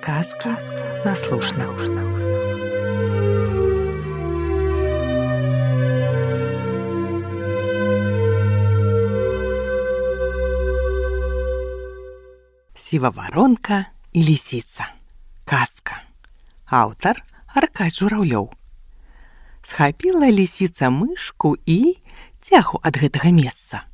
Казки на слушна. Сіваваронка і лісіца. Казка. Аўтар Аркадзь Жураўлёў. Схапіла лісіца мышку і цяху ад гэтага месца.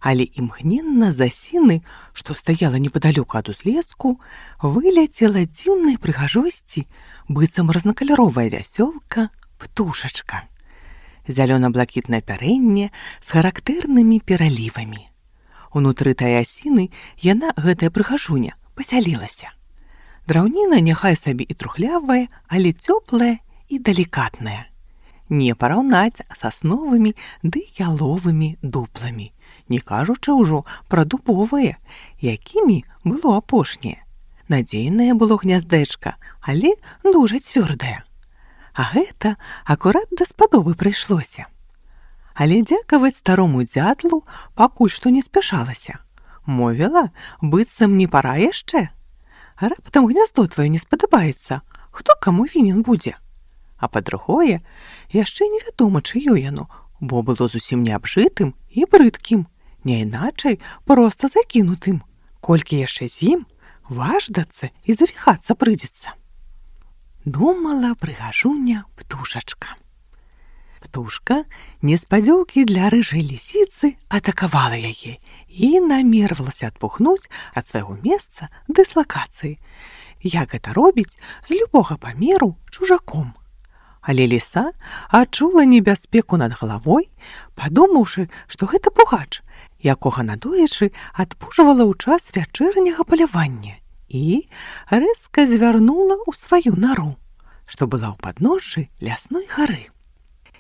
Але імгненна з асіны, што стаяла непадалёку ад узлеску, выляцела дзіўнай прыгажосці, быццам разнакаляровая вясёлка, птушачка. Зялёна-блакітнае апярэнне з характэрнымі пералівамі. Унутры тае асіны яна, гэтая прыгажуня, пасялілася. Драўніна няхай сабе і трухлявая, але цёплая і далікатная. Не параўнаць сасновымі ды яловымі дупламі, не кажучы ўжо пра дубовыя, якімі было апошняе. Надзейнае было гняздэчка, але дужа цвёрдае. А гэта акурат даспадобы прыйшлося. Але дзякаваць старому дзятлу пакуль што не спяшалася. Мовіла, быццам не пара яшчэ. Раптам гняздо тваё не спадабаецца, хто каму вінен будзе? А па-другое, яшчэ невядома, чыё яно, бо было зусім неабжытым і брыдкім, не іначай проста закінутым. Колькі яшчэ з ім важдацца і завіхацца прыйдзецца. Думала прыгажуня птушачка. Птушка неспадзёўкі для рыжай лісіцы атакавала яе і намервалася адпухнуць ад свайго месца дыслакацыі. Як гэта робіць з любога памеру чужаком. Але ліса адчула небяспеку над галавой, падумаўшы, што гэта пугач, якога надоечы адпужвала ў час вячэрняга палявання, і рэзка звярнула ў сваю нару, што была ў падножжы лясной гары.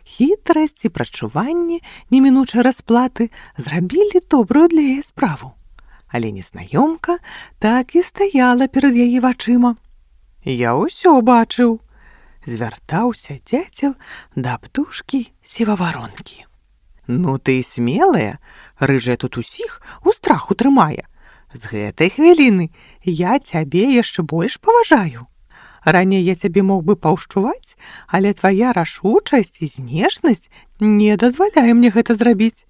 Хітрасць і прачуванне немінучай расплаты зрабілі добрую для яе справу, але незнаёмка так і стаяла перад яе вачыма. «Я ўсё бачыў», звяртаўся дзяцел да птушкі сіваваронкі. «Ну ты смелая, рыжая тут усіх у страху трымае. З гэтай хвіліны я цябе яшчэ больш паважаю. Раней я цябе мог бы паўшчуваць, але твая рашучасць і знешнасць не дазваляе мне гэта зрабіць.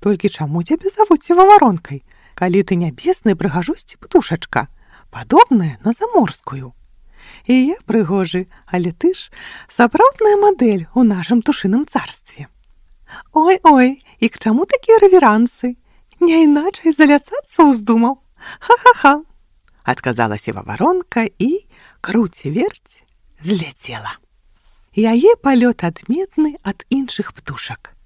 Толькі чаму цябе завуць сіваваронкай, калі ты нябеснай прыгажосці птушачка, падобная на заморскую? І я прыгожы, але ты ж сапраўдная мадэль у нашым птушыным царстве. Ой-ой, і к чаму такія рэверансы? Не іначай заляцацца ўздумаў. Ха-ха-ха!» адказала сіваваронка і, круці-верць, зляцела. Яе палёт адметны ад іншых птушак.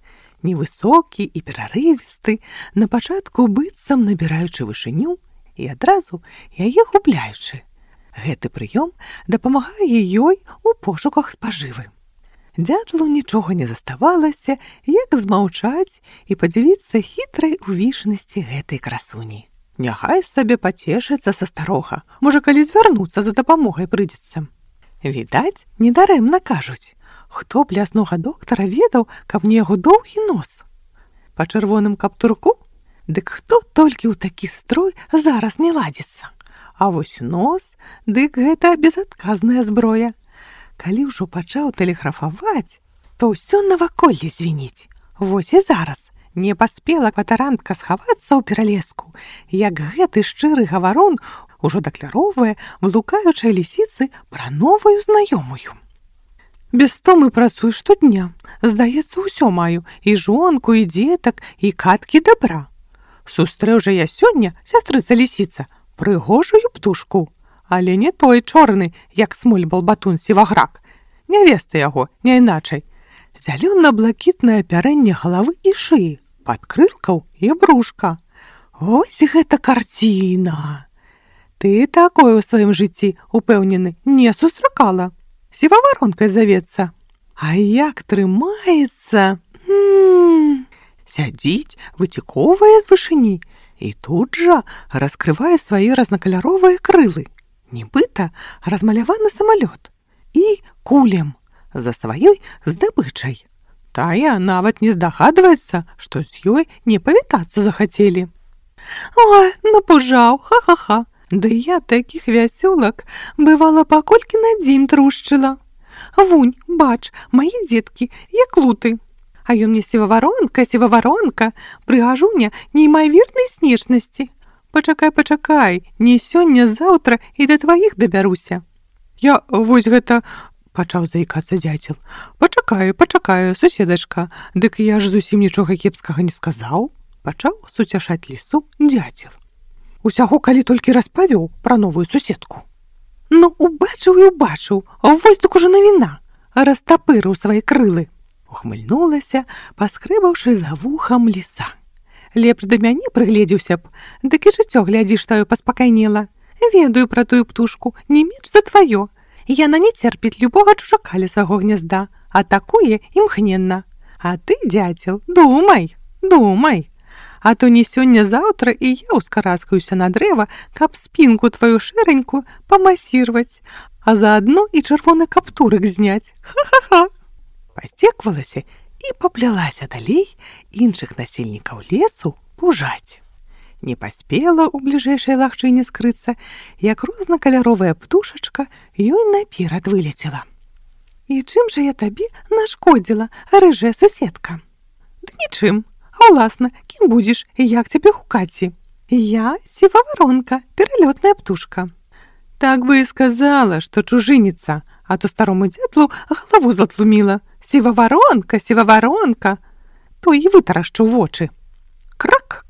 Невысокі і перарывісты, на пачатку быццам набіраючы вышыню і адразу яе губляючы. Гэты прыём дапамагае ёй у пошуках спажывы. Дзятлу нічога не заставалася, як змаўчаць і падзівіцца хітрай увішнасці гэтай красуні. Няхай сабе пацешыцца са старога, можа, калі звярнуцца за дапамогай прыйдзецца. Відаць, недарэмна кажуць, хто б ляснога доктара ведаў, каб не яго доўгі нос? Па чырвоным каптурку? Дык хто толькі ў такі строй зараз не ладзіцца? А вось нос, дык гэта безадказная зброя. Калі ўжо пачаў тэлеграфаваць, то ўсё наваколле звініць. Вось і зараз не паспела кватарантка схавацца ў пералеску, як гэты шчыры гаварон ужо дакляроўвае блукаючай лісіцы пра новую знаёмую. «Без стомы працую штодня. Здаецца, усё маю, і жонку, і дзетак, і каткі дабра. Сустрэў жа я сёння, сястрыца лісіца, прыгожую птушку, але не той чорны, як смоль балбатун сіваграк. Нявеста яго, не іначай. Зялёна-блакітнае апярэнне галавы і шыі, падкрылкаў і брушка. Ось гэта карціна! Ты такое ў сваім жыцці, упэўнены, не сустракала. Сіваваронкай завецца. А як трымаецца! Сядзіць, выцікоўвае з вышыні і тут жа раскрывае свае разнакаляровыя крылы. Нібыта размаляваны самалёт. І кулем за сваёй здабычай. Тая нават не здагадваецца, што з ёй не павітацца захацелі. «Ой, напужаў, ха-ха-ха!» Ды я такіх вясёлак, бывала, паколькі на дзень трушчыла. Вунь, бач, мае дзеткі, як луты. А ён мне сіваваронка, прыгажуня неймавернай снежнасці. Пачакай, не сёння-заўтра і да тваіх дабяруся. Я вось гэта... Пачаў заікацца дзяцел. Пачакай, суседачка, дык я ж зусім нічога кепскага не сказаў. Пачаў суцяшаць лісу дзяцел. Усяго калі толькі распавёў пра новую суседку. Ну, убачыў, вось так ужо навіна. Растапырыў свае крылы. Ухмыльнулася, паскрэбаўшы за вухам ліса. Лепш да мяне прыгледзеўся б, дык і жыццё, глядзіш, таю паспакайнела. Ведаю пра тую птушку, не менш за тваё. Яна не церпіць любога чужака ля свайго гнязда, атакуе імгненна. А ты, дзяцел, думай. А то не сёння-заўтра і я ўскараскаюся на дрэва, каб спінку тваю шэранькую памасірваць, а заадно і чырвоны каптурык зняць. Ха-ха-ха! Пасцеквалася і паплялася далей іншых насельнікаў лесу пужаць. Не паспела ў бліжэйшай лагчыне скрыцца, як рознакаляровая птушачка ёй наперад вылецела. І чым жа я табе нашкодзіла, рыжая суседка? Ды нічым, а ўласна, кім будзеш і як цябе гукаці? Я сіваваронка, пералётная птушка. Так бы і сказала, што чужыніца, а то старому дзятлу галаву затлуміла. Сіваваронка, то і вытарашчыў вочы. Крак.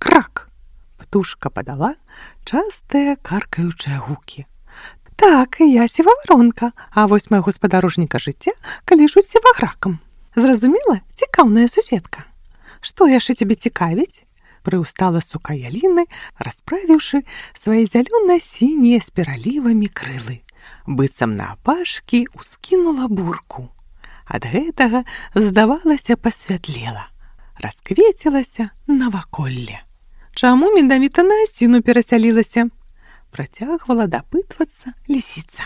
Птушка падала частыя каркаючыя гукі. Так, я сіваваронка, а вось майго спадарожніка жыцця каліжуць сівагракам. Зразумела, цікаўная суседка. Што яшчэ цябе цікавіць? Прыўстала сука яліны, расправіўшы свае зялёна-сінія з пералівамі крылы. Быццам наапашкі ўскінула бурку. Ад гэтага, здавалася, пасвятлела. Расквецілася наваколле. Чаму менавіта на асіну перасялілася? Працягвала дапытвацца лісіца.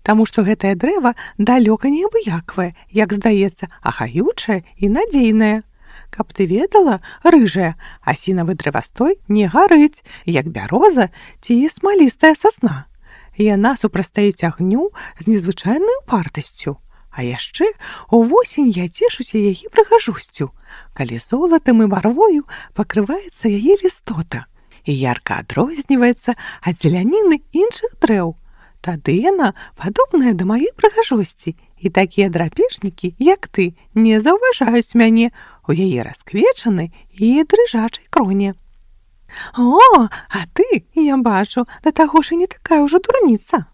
Таму што гэтае дрэва далёка не абыяквае, як здаецца, а хаючае і надзейнае. Каб ты ведала, рыжая, асінавы дрэвастой не гарыць, як бяроза ці смалістая сасна. Яна супрастаіць агню з незвычайнай упартасцю. А яшчэ увосень я цешуся яе прыгажосцю, калі золатам і барвою пакрываецца яе лістота і ярка адрозніваецца ад зеляніны іншых дрэў. Тады яна падобная да маёй прыгажосці, і такія драпежнікі, як ты, не заўважаюць мяне у яе расквечанай і дрыжачай кроне. О, а ты, я бачу, да таго ж і не такая ўжо дурніца.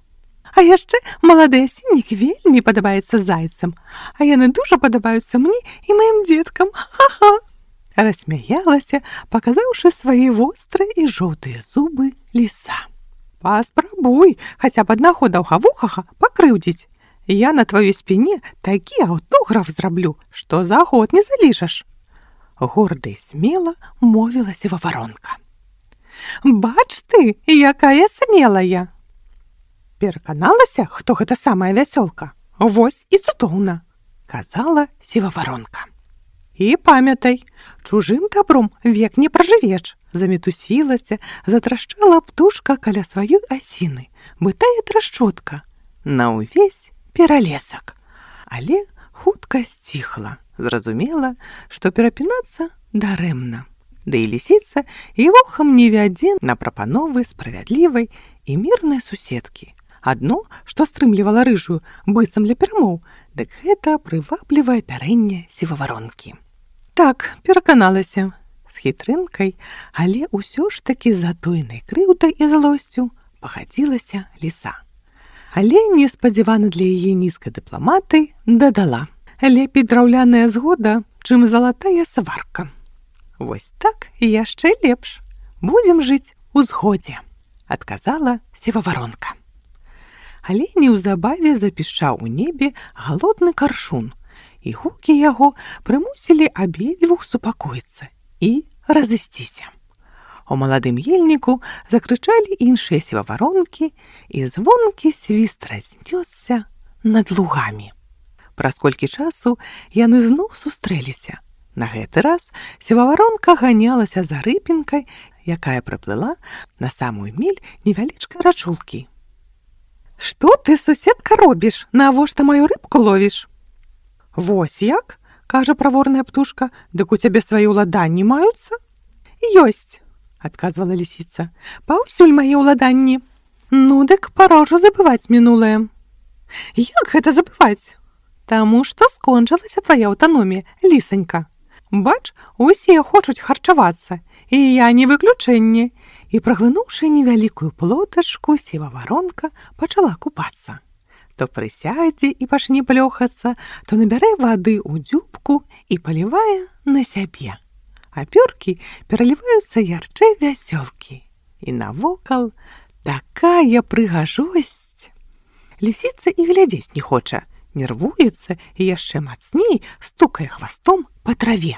А яшчэ малады асіннік вельмі падабаецца зайцам, а яны дужа падабаюцца мне і маім дзеткам. Ха-ха! Рассмяялася, паказаўшы свае вострыя і жоўтыя зубы ліса. Паспрабуй хаця б аднаго даўгавухага пакрыўдзіць. Я на тваёй спіне такі аўтограф зраблю, што за год не заліжаш. Горда і смела мовіла сіваваронка. Бач ты, якая смелая! Пераканалася, хто гэта самая вясёлка? Вось і цудоўна, казала сіваваронка. І памятай, чужым добром век не пражывеш. Замітусілася, затрашчала птушка каля сваёй асіны, бытая трашчотка, на ўвесь пералесак. Але хутка сціхла, зразумела, што перапінацца дарэмна. Да і лісіца і вухам не вядзе на прапановы справядлівай і мірнай суседкі. Адно, што стрымлівала рыжую, быццам для перамоў, дык гэта прываблівае пярэнне сіваваронкі. Так, пераканалася, з хітрынкай, але ўсё ж такі затойнай крыўдай і злосцю пагадзілася ліса. Але неспадзявана для яе нізкай дыпламаты дадала. Лепей драўляная згода, чым залатая сварка. Вось так і яшчэ лепш. Будзем жыць у згодзе, адказала сіваваронка. Але неўзабаве запішчаў у небе галодны каршун, і гукі яго прымусілі абедзвюх супакоіцца і разысціся. У маладым ельніку закрычалі іншыя сіваваронкі, і звонкі свіст разнёсся над лугамі. Праз колькі часу яны зноў сустрэліся. На гэты раз сіваваронка ганялася за рыпінкай, якая прыплыла на самую міль невялічкай рачулкі. «Што ты, суседка, робіш? Навошта маю рыбку ловіш?» «Вось як?» – кажа праворная птушка. «Дык у цябе свае ўладанні маюцца?» «Ёсць», – адказвала лісіца. «Паўсюль мае ўладанні». «Ну, дык пора ўжо забываць мінулае». «Як гэта забываць?» «Таму што скончылася твая аўтаномія, лісанька. Бач, усе хочуць харчавацца, і я не выключэнне». І, праглынуўшы невялікую плотачку, сіваваронка пачала купацца. То прысядзе і пачне плёхацца, то набярэ вады ў дзюбку і палівае на сябе. А пёркі пераліваюцца ярчэй вясёлкі. І навокал такая прыгажосць. Лісіца і глядзець не хоча, нервуецца і яшчэ мацней стукае хвастом па траве.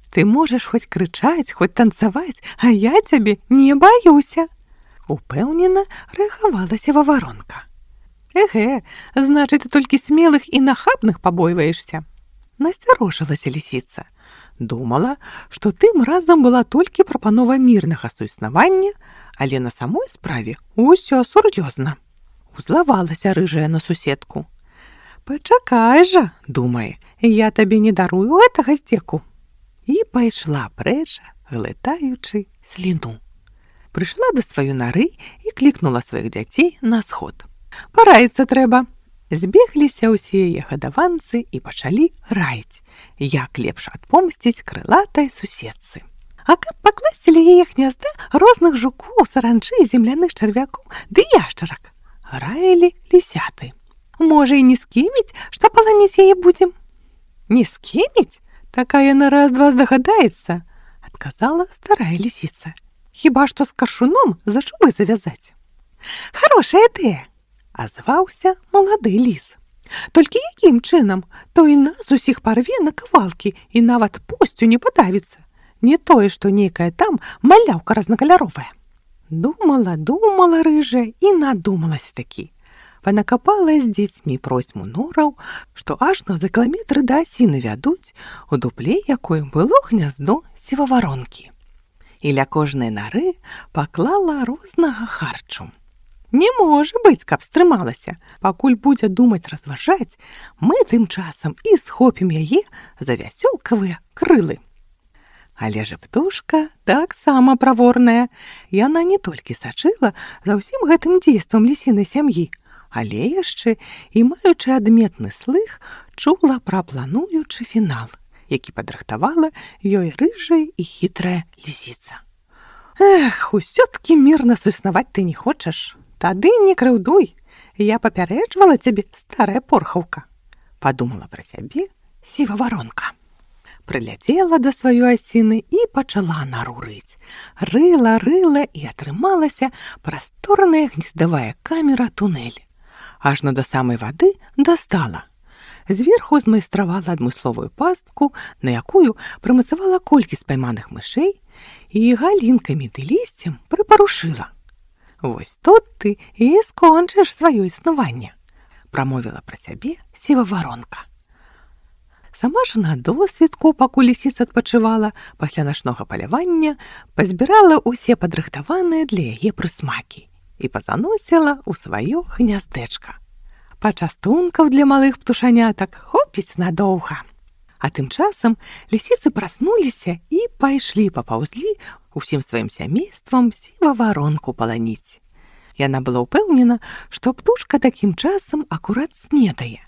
«Ты можаш хоць крычаць, хоць танцаваць, а я цябе не баюся!» Упэўнена рэагавала сіваваронка. «Эгэ, значыць, ты толькі смелых і нахабных пабойваешся!» Насцярожылася лісіца. Думала, што тым разам была толькі прапанова мірнага суіснавання, але на самой справе ўсё сур'ёзна. Узлавалася рыжая на суседку. «Пачакай жа, — думае, — я табе не дарую гэтага здзеку». І пайшла прэч, глытаючы сліну. Прыйшла да сваёй нары і клікнула сваіх дзяцей на сход. «Параіцца трэба». Збегліся ўсе яе гадаванцы і пачалі раіць, як лепш адпомсціць крылатай суседцы. А каб пакласці ля яе гнязда розных жукоў, саранчы, земляных чарвякоў ды яшчарак, раілі лісяты. «Можа, і не скіміць, што паланіць яе будзем?» «Не скіміць? Такая на раз-два здагадаецца», – адказала старая лісіца. «Хіба што з каршуном за чубы завязаць». «Харошая ідэя», – азваўся малады ліс. «Толькі якім чынам? Той нас усіх парве на кавалкі і нават посцю не падавіцца. Не тое, што нейкая там маляўка разнакаляровая». Думала рыжая і надумалася такі. Панакапала з дзецьмі просьму нораў, што ажно за кіламетры да асіны вядуць, у дупле якой было гняздо сіваваронкі. І ля кожнай нары паклала рознага харчу. Не можа быць, каб стрымалася. Пакуль будзе думаць разважаць, мы тым часам і схопім яе за вясёлкавыя крылы. Але ж птушка таксама праворная. Яна не толькі сачыла за ўсім гэтым дзействам лісінай сям'і, але яшчэ і маючы адметны слых, чула пра плануючы фінал, які падрыхтавала ёй рыжая і хітрая лісіца. «Эх, усё-ткі мірна суіснаваць ты не хочаш? Тады не крыўдуй, я папярэджвала цябе, старая порхаўка», – падумала пра сябе сіваваронка. Прыляцела да сваёй асіны і пачала нару рыць. Рыла і атрымалася прасторная гнездавая камера-тунэль. Ажно да самай вады дастала. Зверху змайстравала адмысловую пастку, на якую прымацавала колькі спайманых мышэй і галінкамі ды лісцем прыпарушыла. «Вось тут ты і скончыш сваё існаванне», – прамовіла пра сябе сіваваронка. Сама ж на досвідку, пакуль лісіца адпачывала, пасля начнога палявання пазбірала ўсе падрыхтаваныя для яе прысмакі і пазаносіла ў сваё гняздэчка. Пачастункаў для малых птушанятак хопіць надоўга. А тым часам лісіцы праснуліся і пайшлі папаўзлі усім сваім сямействам сіваваронку паланіць. Яна была ўпэўнена, што птушка такім часам акурат снедае.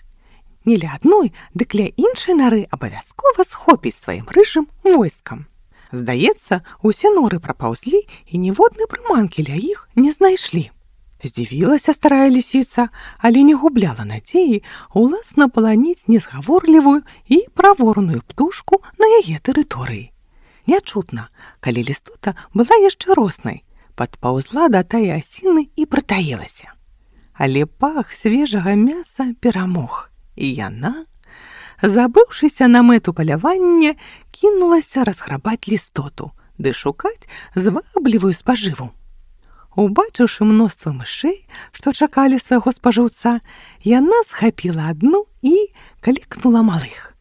Не ля адной, дык ля іншай нары абавязкова схопіць сваім рыжым войскам. Здаецца, усе норы прапаўзлі і ніводнай прыманкі ля іх не знайшлі. Здзівілася старая лісіца, але не губляла надзеі уласна паланіць незгаворлівую і праворную птушку на яе тэрыторыі. Нячутна, калі лістота была яшчэ роснай, падпаўзла да тае асіны і прытаілася. Але пах свежага мяса перамог, і яна, забыўшыся на мэту палявання, кінулася разграбаць лістоту ды шукаць зваблівую спажыву. Убачыўшы мноства мышэй, што чакалі свайго спажыўца, яна схапіла адну і клікнула малых.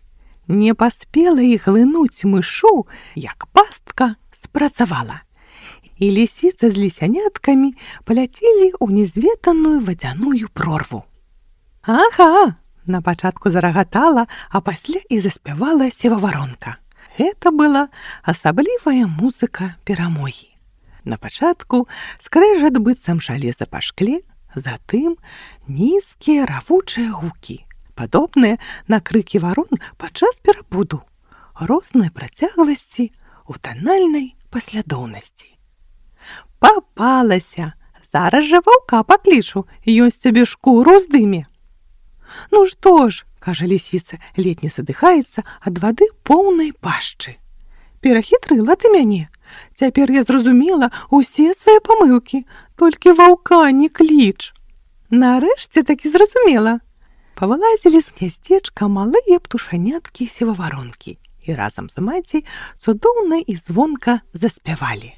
Не паспела іх глынуць мышу, як пастка спрацавала. і лісіца з лісяняткамі паляцелі ў незведаную вадзяную прорву. Ага, на пачатку зарагатала, а пасля і заспявала севаваронка. Гэта была асаблівая музыка перамогі. На пачатку скрэжат быццам жалеза па шкле, затым нізкія равучыя гукі, падобныя на крыкі варон падчас перабуду, рознай працягласці ў танальнай паслядоўнасці. Папалася! Зараз жа ваўка паклічу, ён з цябе шкуру здыме. Ну што ж, кажа лісіца, ледзь не задыхаецца ад вады поўнай пашчы. Перахітрыла ты мяне. Цяпер я зразумела ўсе свае памылкі, толькі ваўка не кліч. Нарэшце такі зразумела. Павылазілі з гняздзечка малыя птушаняткі севаваронкі і разам з маці цудоўна і звонка заспявалі.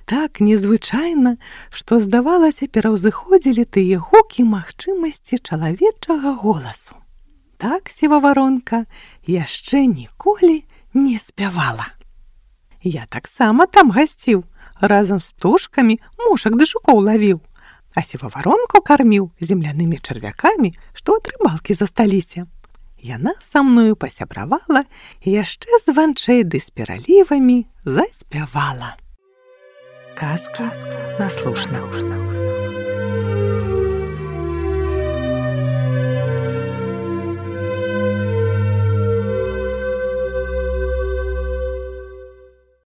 Так незвычайна, што, здавалася, пераўзыходзілі тыя гукі магчымасці чалавечага голасу. Так севаваронка яшчэ ніколі не спявала. Я таксама там гасціў, разам з птушкамі мушак ды жукоў лавіў, а севаваронку карміў землянымі чарвякамі, што ад рыбалкі засталіся. Яна са мною пасябравала і яшчэ званчэй ды з пералівамі заспявала. Казки на слушна.